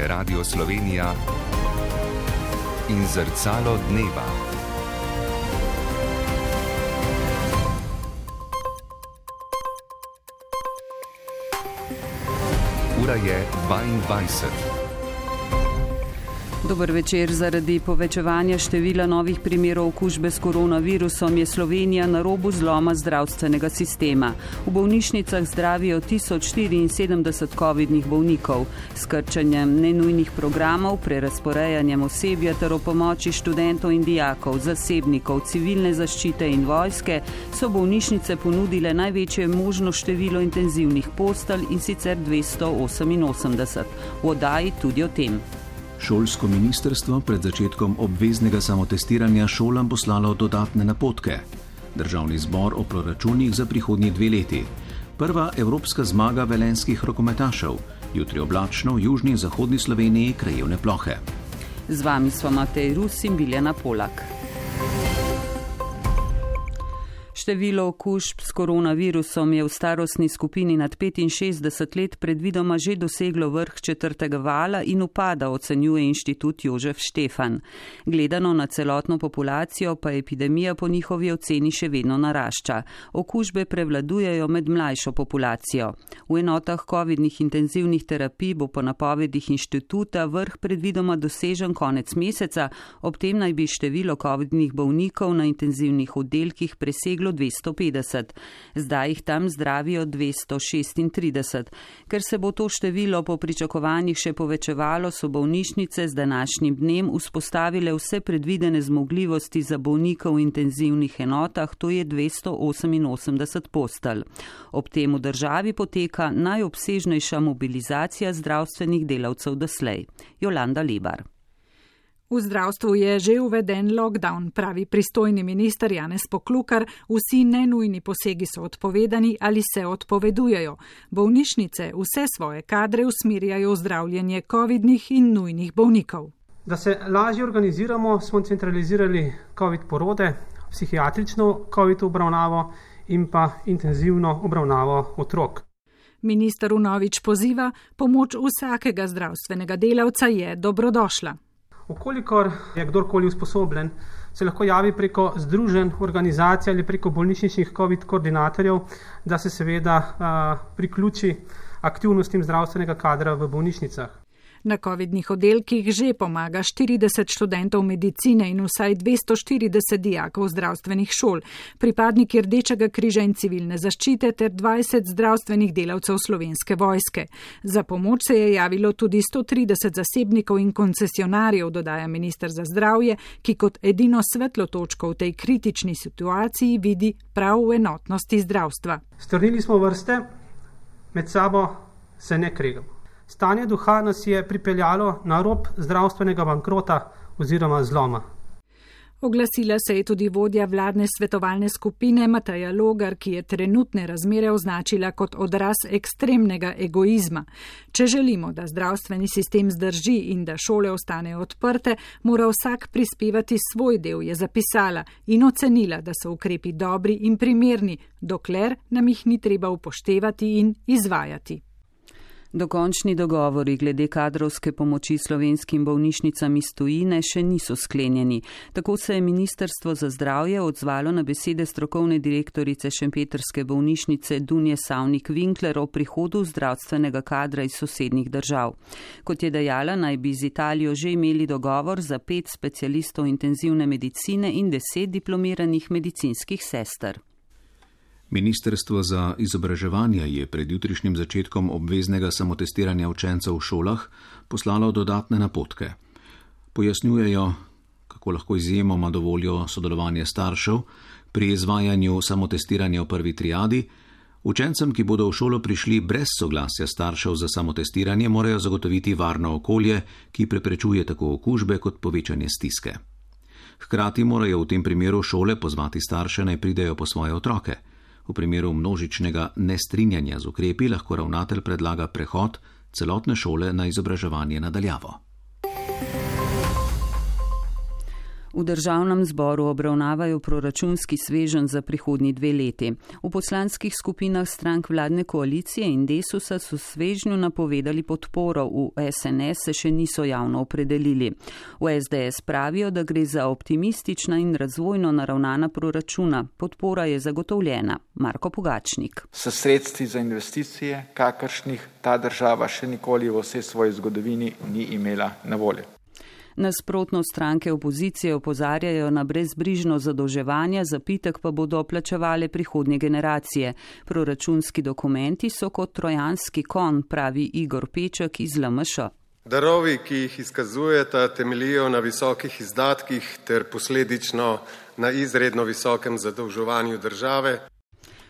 je Radio Slovenija in Zrcalo dneva. Ura je 22. Dober večer. Zaradi povečevanja števila novih primerov okužbe s koronavirusom je Slovenija na robu zloma zdravstvenega sistema. V bolnišnicah zdravijo 1074 covidnih bolnikov. S krčanjem nenujnih programov, prerazporejanjem osebja ter o pomoči študentov in dijakov, zasebnikov, civilne zaščite in vojske so bolnišnice ponudile največje možno število intenzivnih postelj, in sicer 288. V oddaji tudi o tem. Šolsko ministrstvo pred začetkom obveznega samotestiranja šolam poslalo dodatne napotke. Državni zbor o proračunih za prihodnji 2 leti. Prva evropska zmaga velenjskih rokometašev. Jutri oblačno v južni in zahodni Sloveniji krajevne plohe. Z vami smo Matej Rus in Biljana Polak. Število okužb s koronavirusom je v starostni skupini nad 65 let predvidoma že doseglo vrh 4. vala in upada, ocenjuje Inštitut Jožef Štefan. Gledano na celotno populacijo pa epidemija po njihovi oceni še vedno narašča. Okužbe prevladujejo med mlajšo populacijo. V enotah covidnih intenzivnih terapij bo po napovedih inštituta vrh predvidoma dosežen konec meseca, ob tem naj bi število covidnih bolnikov na intenzivnih oddelkih preseglo 250. Zdaj jih tam zdravijo 236. Ker se bo to število po pričakovanjih še povečevalo, so bolnišnice z današnjim dnem vzpostavile vse predvidene zmogljivosti za bolnika v intenzivnih enotah, to je 288 postelj. Ob tem v državi poteka najobsežnejša mobilizacija zdravstvenih delavcev doslej. Jolanda Lebar. V zdravstvu je že uveden lockdown, pravi pristojni minister Janez Poklukar, vsi nenujni posegi so odpovedani ali se odpovedujejo. Bolnišnice vse svoje kadre usmerjajo v zdravljenje covidnih in nujnih bolnikov. Da se lažje organiziramo, smo centralizirali covid porode, psihiatrično covid obravnavo in pa intenzivno obravnavo otrok. Minister vnovič poziva, pomoč vsakega zdravstvenega delavca je dobrodošla. Vkolikor je kdorkoli usposobljen, se lahko javi preko združenj, organizacij ali preko bolnišničnih COVID koordinatorjev, da se seveda priključi aktivnostim zdravstvenega kadra v bolnišnicah. Na covidnih oddelkih že pomaga 40 študentov medicine in vsaj 240 dijakov zdravstvenih šol, pripadniki Rdečega križa in civilne zaščite ter 20 zdravstvenih delavcev Slovenske vojske. Za pomoč se je javilo tudi 130 zasebnikov in koncesionarjev, dodaja minister za zdravje, ki kot edino svetlo točko v tej kritični situaciji vidi prav v enotnosti zdravstva. Strnili smo vrste, med sabo se ne kregamo. Stanje duha nas je pripeljalo na rob zdravstvenega bankrota oziroma zloma. Oglasila se je tudi vodja vladne svetovalne skupine Mateja Logar, ki je trenutne razmere označila kot odraz ekstremnega egoizma. Če želimo, da zdravstveni sistem zdrži in da šole ostanejo odprte, mora vsak prispevati svoj del, je zapisala in ocenila, da so ukrepi dobri in primerni, dokler nam jih ni treba upoštevati in izvajati. Dokončni dogovori glede kadrovske pomoči slovenskim bolnišnicam iz tujine še niso sklenjeni. Tako se je Ministrstvo za zdravje odzvalo na besede strokovne direktorice šempetrske bolnišnice Dunje Savnik-Winkler o prihodu zdravstvenega kadra iz sosednjih držav. Kot je dejala, naj bi z Italijo že imeli dogovor za 5 specialistov intenzivne medicine in 10 diplomiranih medicinskih sester. Ministrstvo za izobraževanje je pred jutrišnjim začetkom obveznega samotestiranja učencev v šolah poslalo dodatne napotke. Pojasnjujejo, kako lahko izjemoma dovolijo sodelovanje staršev pri izvajanju samotestiranja v prvi triadi. Učencem, ki bodo v šolo prišli brez soglasja staršev za samotestiranje, morajo zagotoviti varno okolje, ki preprečuje tako okužbe kot povečanje stiske. Hkrati morajo v tem primeru šole pozvati starše, naj pridejo po svoje otroke. V primeru množičnega nestrinjanja z ukrepi lahko ravnatelj predlaga prehod celotne šole na izobraževanje nadaljavo. V državnem zboru obravnavajo proračunski sveženj za prihodnji 2 leti. V poslanskih skupinah strank vladne koalicije in Desusa so svežnju napovedali podporo, v SNS se še niso javno opredelili. V SDS pravijo, da gre za optimistična in razvojno naravnana proračuna. Podpora je zagotovljena. Marko Pogačnik. S sredstvi za investicije, kakršnih ta država še nikoli v vsej svoji zgodovini ni imela na voljo. Nasprotno stranke opozicije opozarjajo na brezbrižno zadolževanje, zapitek pa bodo plačevale prihodnje generacije. Proračunski dokumenti so kot trojanski konj, pravi Igor Peček iz LMŠ. Darovi, ki jih izkazujeta, temeljijo na visokih izdatkih ter posledično na izredno visokem zadolževanju države.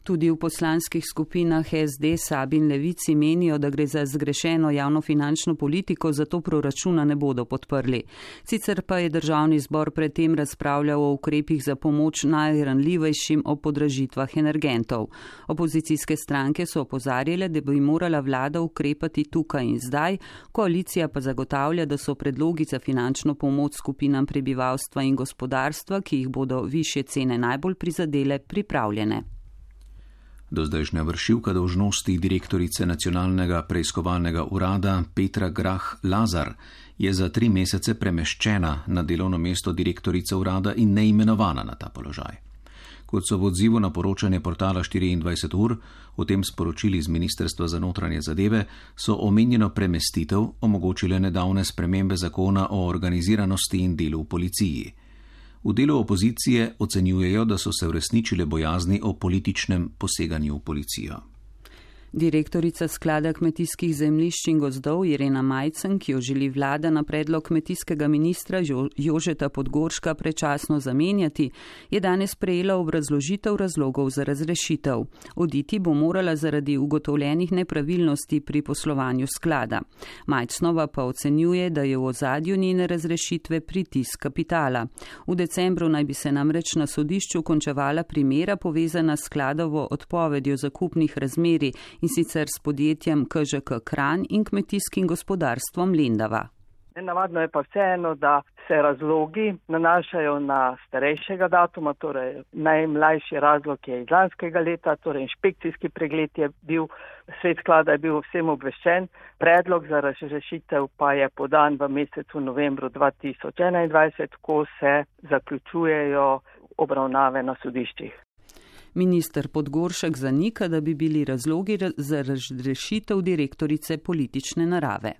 Tudi v poslanskih skupinah SD, SAB in Levici menijo, da gre za zgrešeno javnofinančno politiko, zato proračuna ne bodo podprli. Sicer pa je državni zbor predtem razpravljal o ukrepih za pomoč najranljivejšim o podražitvah energentov. Opozicijske stranke so opozarjale, da bi morala vlada ukrepati tukaj in zdaj, koalicija pa zagotavlja, da so predlogi za finančno pomoč skupinam prebivalstva in gospodarstva, ki jih bodo višje cene najbolj prizadele, pripravljene. Dozdajšnja vršilka dolžnosti direktorice Nacionalnega preiskovalnega urada Petra Grah Lazar je za 3 mesece premeščena na delovno mesto direktorice urada in neimenovana na ta položaj. Kot so v odzivu na poročanje portala 24 ur, o tem sporočili z Ministrstva za notranje zadeve, so omenjeno premestitev omogočile nedavne spremembe zakona o organiziranosti in delu v policiji. V delu opozicije ocenjujejo, da so se uresničile bojazni o političnem poseganju v policijo. Direktorica sklada kmetijskih zemljišč in gozdov Irena Majcen, ki jo želi vlada na predlog kmetijskega ministra Jožeta Podgorška prečasno zamenjati, je danes prejela obrazložitev razlogov za razrešitev. Oditi bo morala zaradi ugotovljenih nepravilnosti pri poslovanju sklada. Majcnova pa ocenjuje, da je v ozadju njene razrešitve pritisk kapitala. V decembru naj bi se namreč na sodišču končevala primera povezana s skladovo odpovedjo zakupnih razmerij in sicer s podjetjem KŽK Kranj in kmetijskim gospodarstvom Lendava. Nenavadno je pa vseeno, da se razlogi nanašajo na starejšega datuma, torej najmlajši razlog je iz lanskega leta, torej inšpekcijski pregled je bil, svet sklada je bil vsem obveščen, predlog za razrešitev pa je podan v mesecu novembru 2021, ko se zaključujejo obravnave na sodiščih. Minister Podgoršek zanika, da bi bili razlogi za razrešitev direktorice politične narave.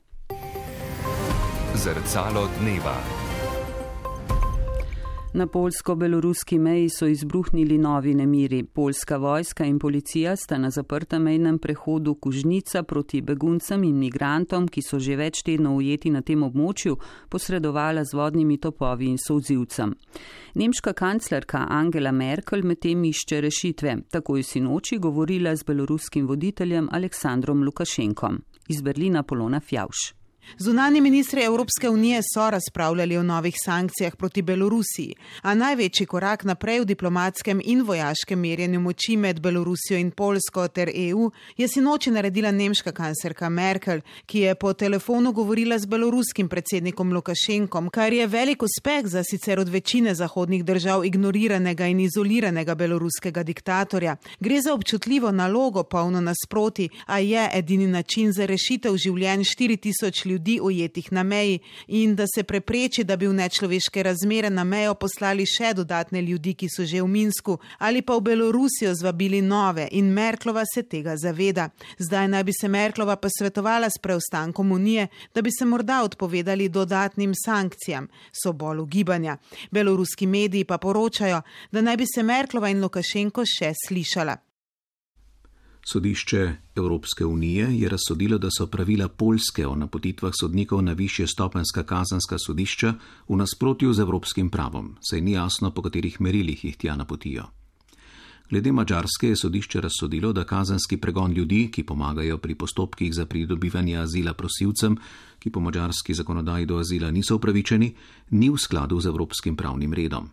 Zrcalo dneva. Na poljsko-beloruski meji so izbruhnili novi nemiri. Poljska vojska in policija sta na zaprtem mejnem prehodu Kužnica proti beguncem in migrantom, ki so že več tednov ujeti na tem območju, posredovala z vodnimi topovi in solzivcem. Nemška kanclerka Angela Merkel medtem išče rešitve. Tako je sinoči govorila z beloruskim voditeljem Aleksandrom Lukašenkom. Iz Berlina Polona Fjavš. Zunanji ministri Evropske unije so razpravljali o novih sankcijah proti Belorusiji, a največji korak naprej v diplomatskem in vojaškem merjenju moči med Belorusijo in Poljsko ter EU je sinoči naredila nemška kanclerka Merkel, ki je po telefonu govorila z beloruskim predsednikom Lukašenkom, kar je velik uspeh za sicer od večine zahodnih držav ignoriranega in izoliranega beloruskega diktatorja. Gre za občutljivo nalogo, polno nasproti, a je edini način za rešitev življenj 4000 ljudi ujetih na meji in da se prepreči, da bi v nečloveške razmere na mejo poslali še dodatne ljudi, ki so že v Minsku, ali pa v Belorusijo zvabili nove in Merklova se tega zaveda. Zdaj naj bi se Merklova posvetovala s preostankom Unije, da bi se morda odpovedali dodatnim sankcijam, so bolj ugibanja. Beloruski mediji pa poročajo, da naj bi se Merklova in Lukašenko še slišala. Sodišče Evropske unije je razsodilo, da so pravila Poljske o napotitvah sodnikov na višje stopenjska kazenska sodišča v nasprotju z evropskim pravom, saj ni jasno, po katerih merilih jih tja napotijo. Glede Madžarske je sodišče razsodilo, da kazenski pregon ljudi, ki pomagajo pri postopkih za pridobivanje azila prosilcem, ki po madžarski zakonodaji do azila niso upravičeni, ni v skladu z evropskim pravnim redom.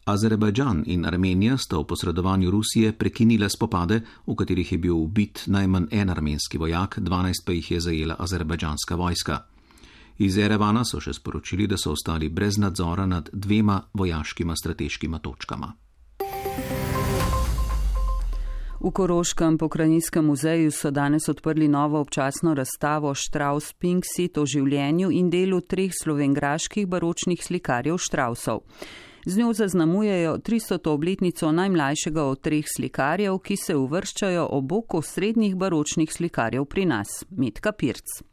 Azerbajdžan in Armenija sta v posredovanju Rusije prekinile spopade, v katerih je bil ubit najmanj en armenski vojak, 12 pa jih je zajela azerbajdžanska vojska. Iz Erevana so še sporočili, da so ostali brez nadzora nad 2 vojaškima strateškima točkama. V Koroškem pokrajinskem muzeju so danes odprli novo občasno razstavo Strauss Pinksit o življenju in delu 3 slovenjgraških baročnih slikarjev Straussov. Z njo zaznamujejo 300. obletnico najmlajšega od 3 slikarjev, ki se uvrščajo ob bok osrednjih baročnih slikarjev pri nas, Metka Pirc.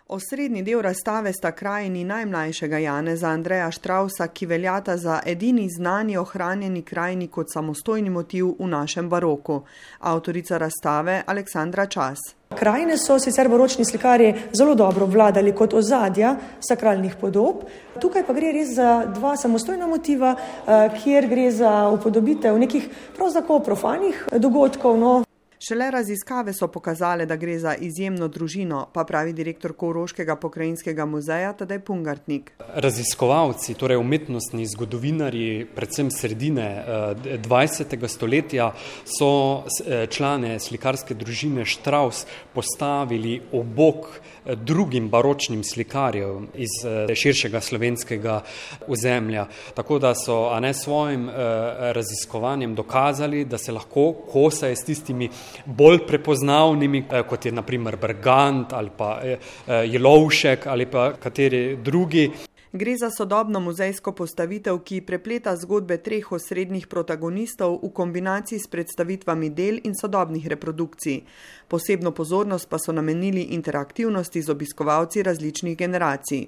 Osrednji del razstave sta krajini najmlajšega Janeza Andreja Straussa, ki veljata za edini znani ohranjeni krajini kot samostojni motiv v našem baroku. Avtorica razstave Aleksandra Čas. Krajine so sicer baročni slikarji zelo dobro vladali kot ozadja sakralnih podob. Tukaj pa gre res za 2 samostojna motiva, kjer gre za upodobitev nekih pravzaprav profanih dogodkov. Šele raziskave so pokazale, da gre za izjemno družino, pa pravi direktor Koroškega pokrajinskega muzeja Tadej Pungartnik. Raziskovalci, torej umetnostni zgodovinarji, predvsem sredine 20. stoletja, so člane slikarske družine Strauss postavili ob bok drugim baročnim slikarjev iz širšega slovenskega ozemlja. Tako da so svojim raziskovanjem dokazali, da se lahko kosajo s tistimi bolj prepoznavnimi, kot je na primer Bergant ali pa Jelovšek ali pa kateri drugi. Gre za sodobno muzejsko postavitev, ki prepleta zgodbe 3 osrednjih protagonistov v kombinaciji s predstavitvami del in sodobnih reprodukcij. Posebno pozornost pa so namenili interaktivnosti z obiskovalci različnih generacij.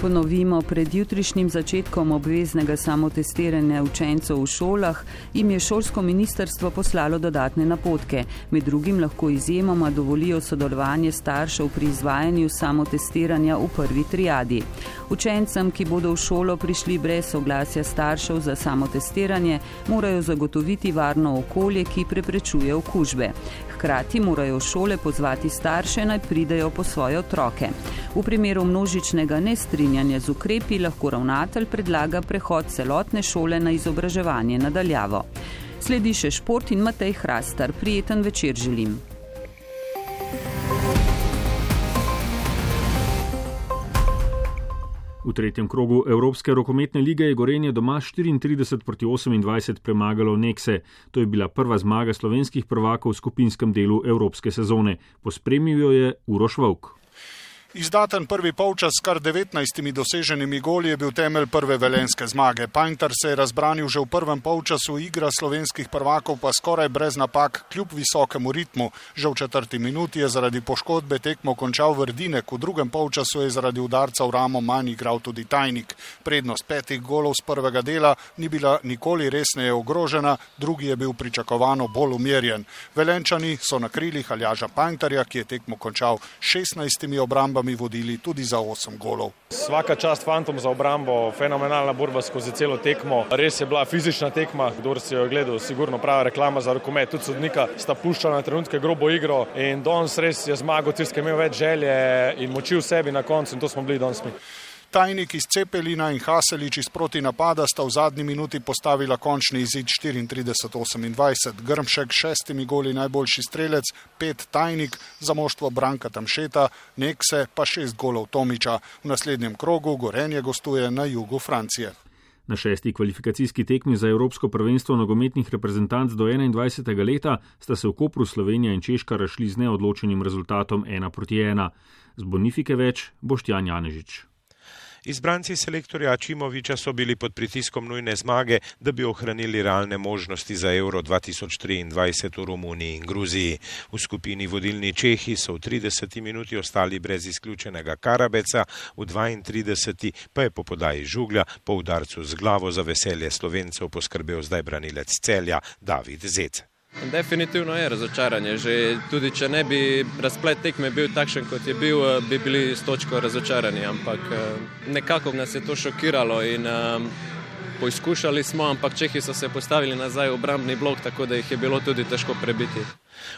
Ponovimo, pred jutrišnjim začetkom obveznega samotestiranja učencev v šolah jim je šolsko ministrstvo poslalo dodatne napotke. Med drugim lahko izjemoma dovolijo sodelovanje staršev pri izvajanju samotestiranja v prvi triadi. Učencem, ki bodo v šolo prišli brez soglasja staršev za samotestiranje, morajo zagotoviti varno okolje, ki preprečuje okužbe. Hkrati morajo šole pozvati starše, naj pridejo po svoje otroke. V primeru množičnega nestrinjanja z ukrepi lahko ravnatelj predlaga prehod celotne šole na izobraževanje nadaljavo. Sledi še šport in Matej Hrastar. Prijeten večer želim. V 3. krogu Evropske rokometne lige je Gorenje doma 34-28 premagalo Nekse. To je bila prva zmaga slovenskih prvakov v skupinskem delu evropske sezone. Pospremil jo je Uroš Vovk. Izdaten prvi polčas s kar 19 doseženimi goli je bil temelj prve velenjske zmage. Painter se je razbranil že v prvem polčasu, igra slovenskih prvakov pa skoraj brez napak, kljub visokemu ritmu. Že v 4. minuti je zaradi poškodbe tekmo končal Vrdinek, v drugem polčasu je zaradi udarca v ramo manj igral tudi Tajnik. Prednost 5 golov z prvega dela ni bila nikoli resneje ogrožena, drugi je bil pričakovano bolj umirjen. Velenčani so na krilih Aljaža Painterja, ki je tekmo končal 16 obrambami, vodili tudi za 8 golov. Svaka čast fantom za obrambo, fenomenalna borba skozi celo tekmo. Res je bila fizična tekma, kdor si jo gledal, sigurno prava reklama za rokomet. Tudi sodnika sta puščala na trenutke grobo igro in danes res je zmagal, ker je imel več želje in moči v sebi na koncu in to smo bili danes mi. Tajnik iz Cepelina in Haselič iz proti napada sta v zadnji minuti postavila končni izid 34-28. Grmšek 6 goli najboljši strelec, 5 Tajnik, za moštvo Branka Tamšeta, Nekse pa 6 golov Tomiča. V naslednjem krogu Gorenje gostuje na jugu Francije. Na 6. kvalifikacijski tekmi za Evropsko prvenstvo nogometnih reprezentanc do 21. leta sta se v Kopru Slovenija in Češka razšli z neodločenim rezultatom 1-1. Z Bonifike več Boštjan Janežič. Izbranci selektorja Ačimoviča so bili pod pritiskom nujne zmage, da bi ohranili realne možnosti za Euro 2023 v Romuniji in Gruziji. V skupini vodilni Čehi so v 30 minuti ostali brez izključenega Karabeca, v 32 pa je po podaji Žuglja po udarcu z glavo za veselje Slovencev poskrbel zdaj branilec Celja David Zec. Definitivno je razočaranje. Že tudi če ne bi razplet tekme bil takšen, kot je bil, bi bili s točko razočarani, ampak nekako nas je to šokiralo in poizkušali smo, ampak Čehi so se postavili nazaj v obrambni blok, tako da jih je bilo tudi težko prebiti.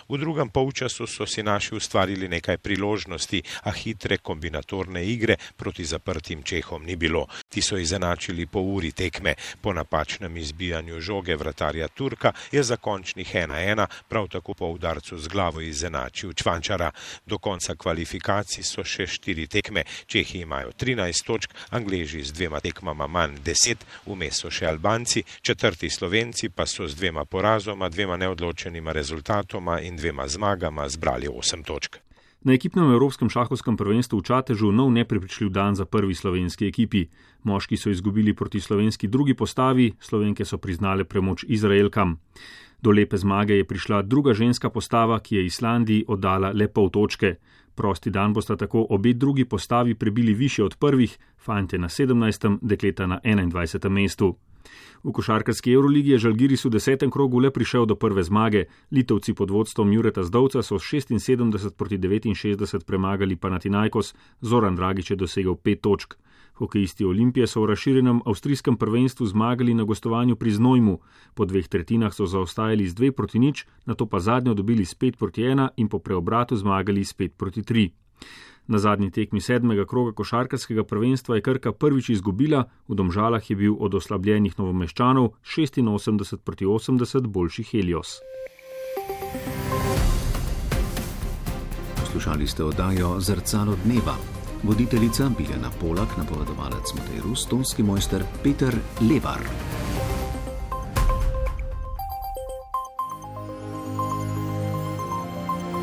V drugem polčasu so si naši ustvarili nekaj priložnosti, a hitre kombinatorne igre proti zaprtim Čehom ni bilo. Ti so izenačili po uri tekme. Po napačnem izbijanju žoge vratarja Turka je za končnih 1-1 prav tako po udarcu z glavo izenačil Čvančara. Do konca kvalifikacij so še 4 tekme. Čehi imajo 13 točk, Angleži z 2 tekmama manj 10, vmes so še Albanci, 4. Slovenci pa so z 2 porazoma, 2 neodločenima rezultatoma in 2 zmagama zbrali 8 točk. Na ekipnem evropskem šahovskem prvenstvu v Čatežu nov neprepričljiv dan za prvi slovenski ekipi. Moški so izgubili proti slovenski drugi postavi, Slovenke so priznale premoč Izraelkam. Do lepe zmage je prišla druga ženska postava, ki je Islandiji oddala le pol točke. Prosti dan bosta tako obe drugi postavi prebili više od prvih, fantje na 17., dekleta na 21. mestu. V košarkarski Euroligi je Žalgiris v 10. krogu le prišel do prve zmage. Litovci pod vodstvom Jureta Zdovca so 76 proti 69 premagali Panathinaikos, Zoran Dragić je dosegel 5 točk. Hokejisti Olimpije so v razširjenem avstrijskem prvenstvu zmagali na gostovanju pri Znojmu. Po 2 tretjinah so zaostajali z 2 proti 0, nato pa zadnjo dobili s 5 proti 1 in po preobratu zmagali s 5 proti 3. Na zadnji tekmi 7. kroga košarkarskega prvenstva je Krka prvič izgubila, v Domžalah je bil od oslabljenih Novomeščanov 86 proti 80 boljši Helios. Poslušali ste oddajo Zrcalo dneva. Voditeljica Biljana Polak, napovedovalec Matej Rus, tonski mojster Peter Levar.